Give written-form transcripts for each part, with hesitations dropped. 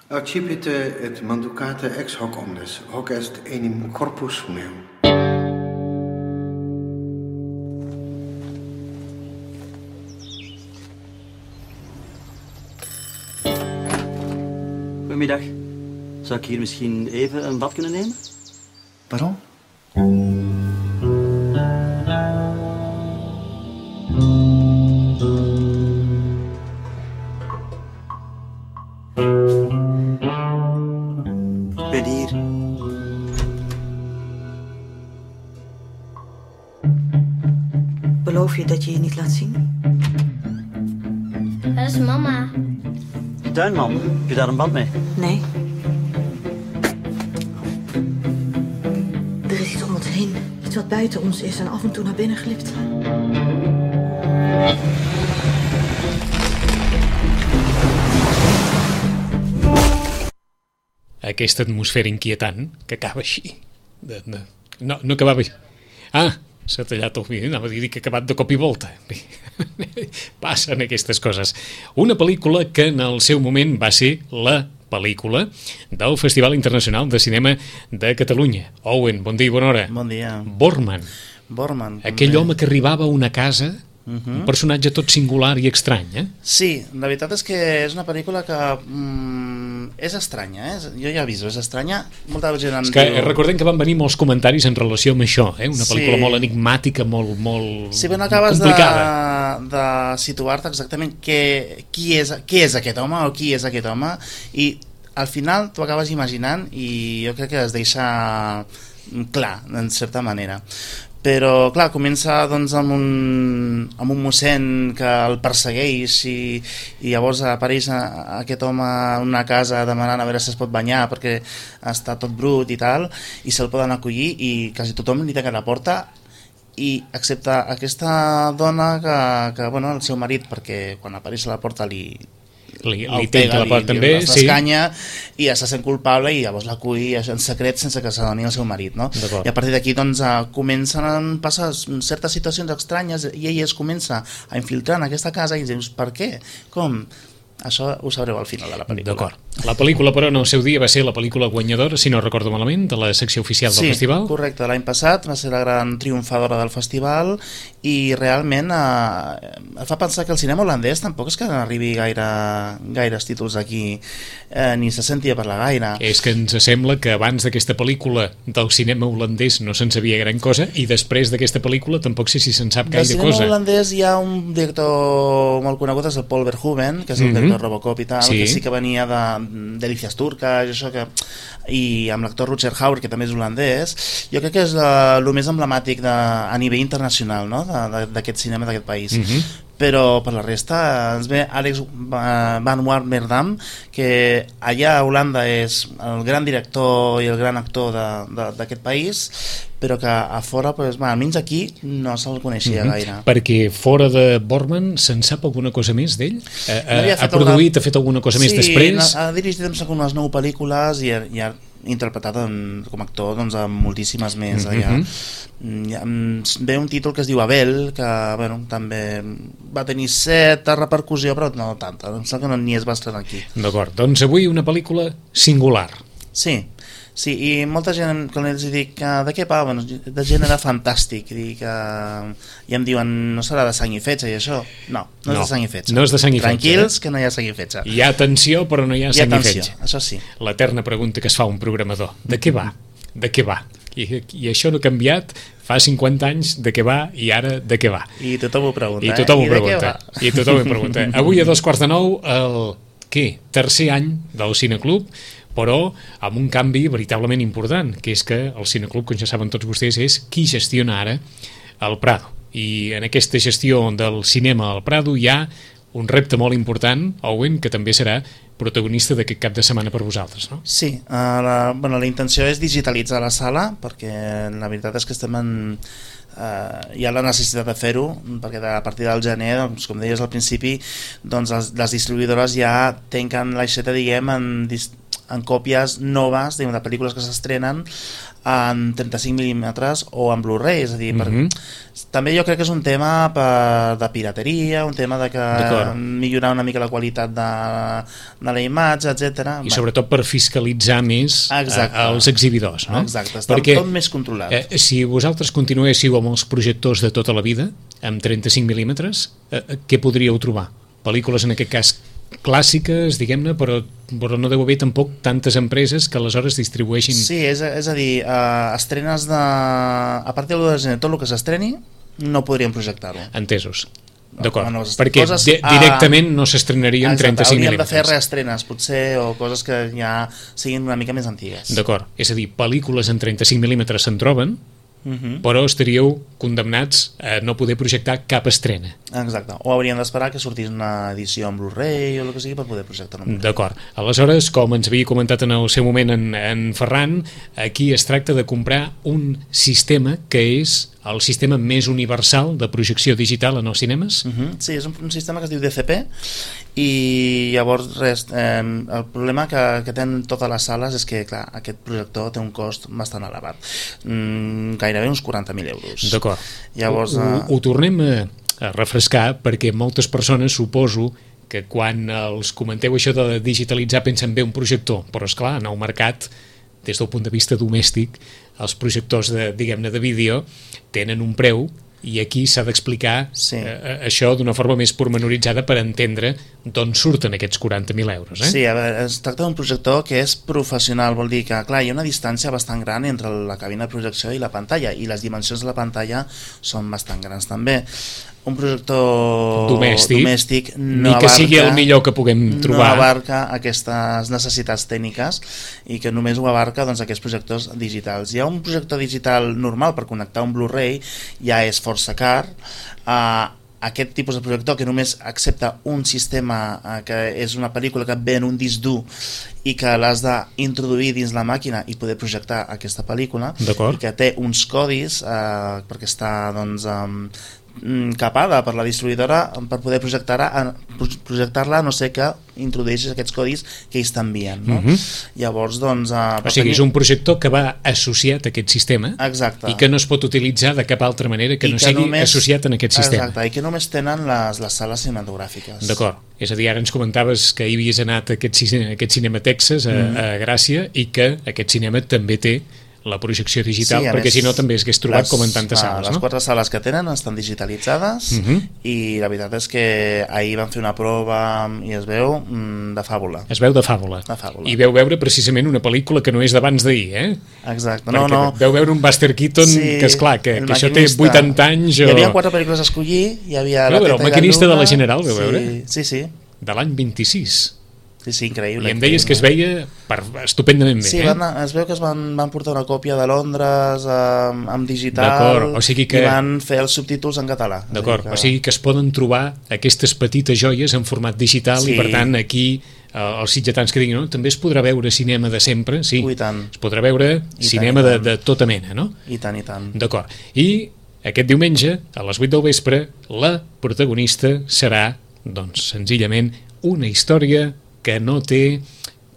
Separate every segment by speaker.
Speaker 1: Accipite et manducate ex hoc omnes, hoc est enim corpus meum.
Speaker 2: Goedemiddag. Zou ik hier misschien even een bad kunnen nemen?
Speaker 3: Pardon?
Speaker 2: Ik ben hier.
Speaker 4: Beloof je dat je je niet laat zien?
Speaker 5: Dat is mama.
Speaker 2: Tuinman, heb je daar een band mee?
Speaker 4: Nee. Er is iets om ons heen. Iets wat buiten ons is en af en toe naar binnen glipt.
Speaker 6: Aquesta atmosfera inquietant que acaba així. No acabava així. S'ha tallat el vídeo, anava a dir que ha acabat de cop i volta. Passen aquestes coses. Una pel·lícula que en el seu moment va ser la pel·lícula del Festival Internacional de Cinema de Catalunya. Owen, bon dia i bona hora.
Speaker 3: Bon dia.
Speaker 6: Borman. Aquell home que arribava a una casa, un personatge tot singular i estrany, eh?
Speaker 3: Sí, la veritat és que és una pel·lícula que és estranya, jo ja aviso, és estranya. Molta gent
Speaker 6: és que recordem que van venir molts comentaris en relació amb això, una pel·lícula molt enigmàtica, molt
Speaker 3: sí, però no acabes de situar-te exactament qui és aquest home o qui és aquest home, i al final tu acabes imaginant, i jo crec que es deixa clar, en certa manera. Però clar, comença doncs amb un mossèn que el persegueix i llavors apareix aquest home en una casa demanant a veure si es pot banyar perquè està tot brut i tal, i se'l poden acollir i quasi tothom li tanca la porta, i excepte aquesta dona que bueno, el seu marit, perquè quan apareix a la porta li
Speaker 6: tenta la porta també, sí,
Speaker 3: i ja se sent culpable i llavors l'acull en secret sense que s'adoni el seu marit, no? I a partir d'aquí doncs comencen a passar certes situacions estranyes i ell es comença a infiltrar en aquesta casa i dius, per què? Com? Això ho sabreu al final de la pel·lícula.
Speaker 6: D'acord. La pel·lícula, però, en el seu dia va ser la pel·lícula guanyadora, si no recordo malament, de la secció oficial del festival.
Speaker 3: Sí, correcte. L'any passat va ser la gran triomfadora del festival i realment fa pensar que el cinema holandès tampoc és que n'arribi gaires títols aquí, ni se sentia parlar gaire.
Speaker 6: És que ens sembla que abans d'aquesta pel·lícula del cinema holandès no se'n sabia gran cosa i després d'aquesta pel·lícula tampoc sé si se'n sap gaire cosa.
Speaker 3: Del cinema holandès hi ha un director molt conegut, és el Paul Verhoeven, que és el director de Robocop i tal, que sí que venia de Delícies turques, això i amb l'actor Rutger Hauer, que també és holandès. Jo crec que és el més emblemàtic a nivell internacional, no? D'aquest cinema d'aquest país. Però per la resta ens ve Alex van Warmerdam, que allà a Holanda és el gran director i el gran actor d'aquest país, però que a fora, almenys aquí, no se'l coneixia gaire.
Speaker 6: Perquè fora de Borman se'n sap alguna cosa més d'ell? Ha produït, ha fet alguna cosa més després?
Speaker 3: Sí, ha dirigit unes 9 pel·lícules i ha interpretat com a actor doncs, a moltíssimes més. Ve un títol que es diu Abel, que també va tenir certa repercussió, però no tanta, em sembla que ni es va estrenar aquí.
Speaker 6: D'acord, doncs avui una pel·lícula singular.
Speaker 3: Sí, i molta gent, quan els dic de què va, de gènere fantàstic, i em diuen, no serà de sang i fetge i això? No és de sang i fetge.
Speaker 6: No és de sang i fetge.
Speaker 3: Tranquils, que no hi ha sang i fetge.
Speaker 6: Hi ha tensió, però no hi ha sang i fetge.
Speaker 3: Això sí.
Speaker 6: L'eterna pregunta que es fa un programador. De què va? De què va? I això no ha canviat fa 50 anys de què va i ara de què va.
Speaker 3: I tothom ho pregunta.
Speaker 6: I tothom ho pregunta. Avui a 8:45 el tercer any del Cineclub, però amb un canvi veritablement important, que és que el Cineclub, com ja saben tots vostès, és qui gestiona ara el Prado. I en aquesta gestió del cinema al Prado hi ha un repte molt important, Owen, que també serà protagonista d'aquest cap de setmana per vosaltres, no?
Speaker 3: Sí, la intenció és digitalitzar la sala, perquè la veritat és que hi ha la necessitat de fer-ho, perquè a partir del gener, doncs, com deies al principi, doncs les distribuïdores ja tanquen l'aixeta, diguem, en còpies noves de pel·lícules que s'estrenen en 35 mm o en Blu-ray, és a dir, també jo crec que és un tema de pirateria, un tema de millorar una mica la qualitat de la imatge, etc.
Speaker 6: I sobretot per fiscalitzar més els exhibidors, no?
Speaker 3: Exacte, està tot més controlat.
Speaker 6: Si vosaltres continuéssiu amb els projectors de tota la vida, amb 35 mm, què podríeu trobar? Pel·lícules, en aquest cas, clàssiques, diguem-ne, però no deu haver tampoc tantes empreses que aleshores distribueixin...
Speaker 3: Sí, és a dir, estrenes de... A partir de l'1 de gener, tot el que s'estreni no podríem projectar-ho.
Speaker 6: Entesos. D'acord, perquè directament no s'estrenarien 35 mm.
Speaker 3: Hauríem de fer reestrenes, potser, o coses que ja siguin una mica més antigues.
Speaker 6: D'acord, és a dir, pel·lícules en 35 mm se'n troben, però estaríeu condemnats a no poder projectar cap estrena.
Speaker 3: Exacte, o hauríem d'esperar que sortís una edició en Blu-ray o el que sigui per poder projectar-ho.
Speaker 6: D'acord, aleshores, com ens havia comentat en el seu moment en Ferran, aquí es tracta de comprar un sistema que és el sistema més universal de projecció digital en els cinemes?
Speaker 3: Sí, és un sistema que es diu DCP, i llavors el problema que tenen totes les sales és que, clar, aquest projector té un cost bastant elevat, gairebé uns 40.000 euros.
Speaker 6: D'acord,
Speaker 3: llavors
Speaker 6: ho tornem a refrescar, perquè moltes persones, suposo, que quan els comenteu això de digitalitzar pensen bé un projector, però esclar, en el mercat, des del punt de vista domèstic, els projectors diguem-ne de vídeo tenen un preu, i aquí s'ha d'explicar això d'una forma més pormenoritzada per entendre d'on surten aquests 40.000 euros.
Speaker 3: Sí, a veure, es tracta d'un projector que és professional, vol dir que, clar, hi ha una distància bastant gran entre la cabina de projecció i la pantalla, i les dimensions de la pantalla són bastant grans també. Un projector domèstic
Speaker 6: ni que sigui el millor que puguem trobar,
Speaker 3: no abarca aquestes necessitats tècniques, i que només ho abarca aquests projectors digitals. Hi ha un projector digital normal per connectar un Blu-ray, ja és força car. Aquest tipus de projector, que només accepta un sistema, que és una pel·lícula que ve en un disc dur i que l'has d'introduir dins la màquina i poder projectar aquesta pel·lícula, i que té uns codis perquè està capada per la distribuïdora per poder projectar-la, no sé que introdueixis aquests codis que ells t'envien, no? Llavors,
Speaker 6: o sigui, és un projector que va associat a aquest sistema.
Speaker 3: Exacte.
Speaker 6: I que no es pot utilitzar de cap altra manera que no sigui associat en aquest sistema.
Speaker 3: Exacte, i que només tenen les sales cinematogràfiques.
Speaker 6: D'acord, és a dir, ara ens comentaves que hi havies anat a aquest cinema Texas, a Gràcia, i que aquest cinema també té la projecció digital, perquè si no també es hagués trobat com en tantes sales.
Speaker 3: Les 4 sales que tenen estan digitalitzades, i la veritat és que ahir van fer una prova i es veu de fàbula.
Speaker 6: Es veu de fàbula. I veu veure precisament una pel·lícula que no és d'abans d'ahir,
Speaker 3: Exacte.
Speaker 6: Perquè veu veure un Buster Keaton que, esclar, que això té 80 anys.
Speaker 3: Hi havia 4 pel·lícules a escollir, hi havia
Speaker 6: el maquinista de la General, veu veure?
Speaker 3: Sí.
Speaker 6: De l'any 26.
Speaker 3: Sí, increïble.
Speaker 6: I em deies que es veia estupendament bé.
Speaker 3: Sí, es veu que es van portar una còpia de Londres amb digital, i van fer els subtítols en català.
Speaker 6: D'acord, o sigui que es poden trobar aquestes petites joies en format digital, i per tant aquí els sitgetans que diguin, també es podrà veure cinema de sempre, sí, es podrà veure cinema de tota mena, no?
Speaker 3: I tant, i tant.
Speaker 6: D'acord, i aquest diumenge a les 8 del vespre la protagonista serà, doncs, senzillament una història que no té,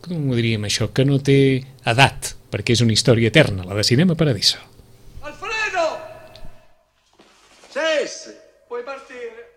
Speaker 6: com ho diríem això, que no té edat, perquè és una història eterna, la de Cinema Paradiso.
Speaker 5: ¡Alfredo! ¡Cés! Puoi partire.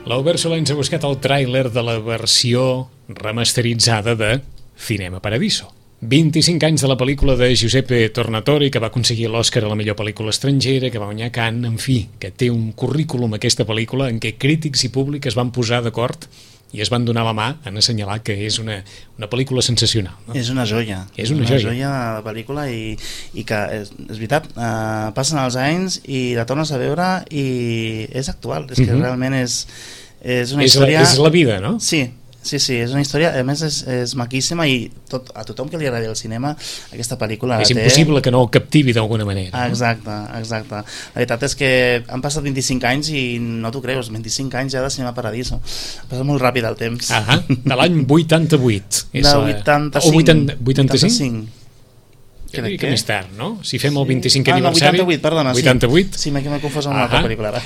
Speaker 6: L'Albert Solà ens ha buscat el tràiler de la versió remasteritzada de Cinema Paradiso. 25 anys de la pel·lícula de Giuseppe Tornatore, que va aconseguir l'Oscar a la millor pel·lícula estrangera, que va guanyar Cannes, en fi, que té un currículum aquesta pel·lícula en què crítics i públic es van posar d'acord i es van donar la mà en assenyalar que és una pel·lícula sensacional. No?
Speaker 3: És una joia.
Speaker 6: És una joia
Speaker 3: de la pel·lícula i que, és veritat, passen els anys i la tornes a veure i és actual. És que realment és una història...
Speaker 6: És la vida, no?
Speaker 3: Sí, és una història, a més és maquíssima i a tothom que li agradi el cinema aquesta pel·lícula
Speaker 6: és impossible que no el captivi d'alguna manera.
Speaker 3: Exacte. La veritat és que han passat 25 anys i no t'ho creus, 25 anys ja de Cinema Paradiso. Passa molt ràpid el temps.
Speaker 6: De l'any 88.
Speaker 3: De 85.
Speaker 6: 85? Crec que més tard, no? Si fem el 25è aniversari...
Speaker 3: 88, perdona,
Speaker 6: 88?
Speaker 3: Sí, m'he confós amb una altra pel·lícula ara.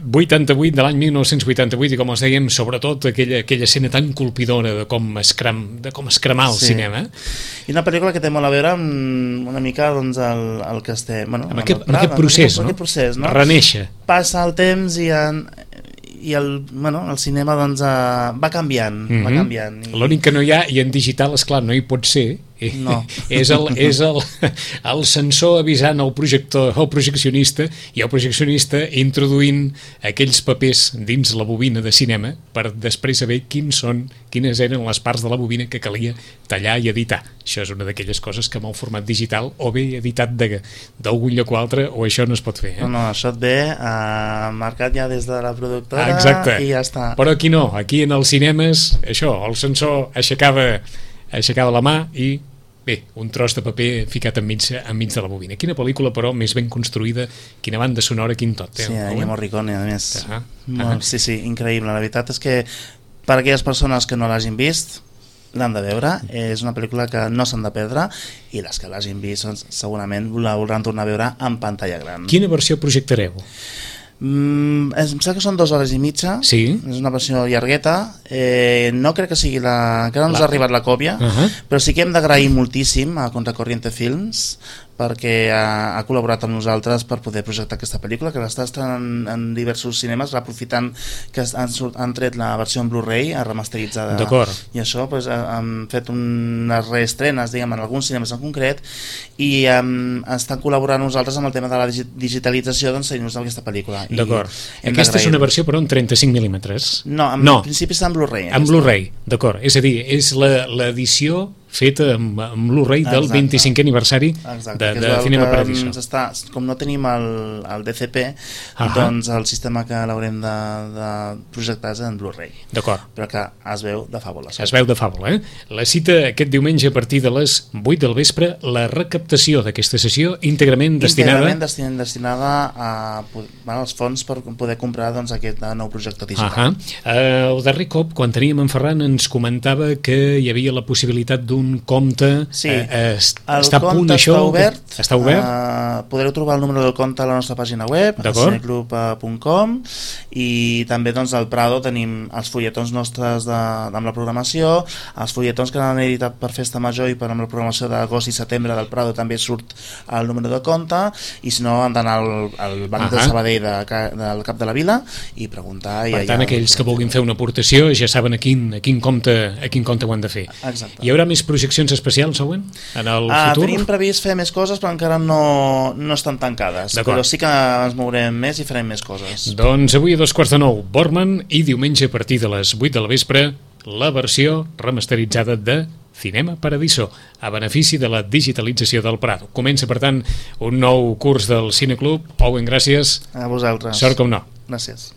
Speaker 6: 88, de l'any 1988, i com els dèiem, sobretot aquella escena tan colpidora de com es cremar el cinema.
Speaker 3: I una pel·lícula que té molt a veure amb una mica doncs, el que estem...
Speaker 6: Amb aquest procés, no? Renéixer.
Speaker 3: Passa el temps i el cinema doncs, va canviant.
Speaker 6: L'únic que no hi ha, i en digital, esclar, no hi pot ser,
Speaker 3: no.
Speaker 6: és el sensor avisant el projeccionista i el projeccionista introduint aquells papers dins la bobina de cinema per després saber quines eren les parts de la bobina que calia tallar i editar. Això és una d'aquelles coses que amb el format digital o bé editat d'algun lloc o altre o això no es pot fer.
Speaker 3: No, això et ve marcat ja des de la productora.
Speaker 6: Exacte.
Speaker 3: I ja està.
Speaker 6: Però aquí no, aquí en els cinemes això, el sensor aixecava la mà i bé, un tros de paper ficat enmig de la bobina. Quina pel·lícula, però, més ben construïda, quina banda sonora, quin tot.
Speaker 3: Sí, hi ha Morricone, a més. Sí, increïble. La veritat és que per a aquelles persones que no l'hagin vist, l'han de veure. És una pel·lícula que no s'han de perdre i les que l'hagin vist segurament la voldran tornar a veure en pantalla gran.
Speaker 6: Quina versió projectareu?
Speaker 3: Em sembla que són 2 hores i mitja.
Speaker 6: Sí.
Speaker 3: És una versió llargueta. No crec que sigui encara no ens ha arribat la còpia, però sí que hem d'agrair moltíssim a Contracorriente Films perquè ha col·laborat amb nosaltres per poder projectar aquesta pel·lícula, que l'està estrenant en diversos cinemes, aprofitant que han tret la versió en Blu-ray remasteritzada.
Speaker 6: D'acord.
Speaker 3: I això han fet unes reestrenes, diguem, en alguns cinemes en concret, i estan col·laborant nosaltres amb el tema de la digitalització d'ensenyar-nos aquesta pel·lícula.
Speaker 6: D'acord. Aquesta és una versió, però, en 35 mil·límetres?
Speaker 3: No, en principi està en Blu-ray.
Speaker 6: En Blu-ray, d'acord. És a dir, és l'edició feta amb Blu-ray del 25è aniversari de Cinema Paradiso.
Speaker 3: Com no tenim el DCP, doncs el sistema que l'haurem de projectar és en Blu-ray.
Speaker 6: D'acord.
Speaker 3: Però que es veu de fàbula.
Speaker 6: Es veu de fàbula, eh? La cita aquest diumenge a partir de les 8 del vespre, la recaptació d'aquesta sessió íntegrament destinada als fons per poder comprar aquest nou projector digital. El darrer cop, quan teníem en Ferran, ens comentava que hi havia la possibilitat d'un compte. Està a punt això? Està obert?
Speaker 3: Podreu trobar el número del compte a la nostra pàgina web, cineclub.com, i també al Prado tenim els fulletons nostres amb la programació, els fulletons que han editat per Festa Major i per amb la programació d'agost i setembre del Prado també surt el número de compte, i si no han d'anar al Banc de Sabadell del Cap de la Vila i preguntar.
Speaker 6: Per tant, aquells que vulguin fer una aportació ja saben a quin compte ho han de fer.
Speaker 3: Exacte.
Speaker 6: Hi haurà més projeccions especials, Owen, en el futur?
Speaker 3: Tenim previst fer més coses, però encara no estan tancades. Però sí que ens mourem més i farem més coses.
Speaker 6: Doncs avui a 9:15, Borman, i diumenge a partir de les 8 del vespre, la versió remasteritzada de Cinema Paradiso, a benefici de la digitalització del Prado. Comença, per tant, un nou curs del Cineclub. Owen, gràcies.
Speaker 3: A vosaltres.
Speaker 6: Sort com no.
Speaker 3: Gràcies.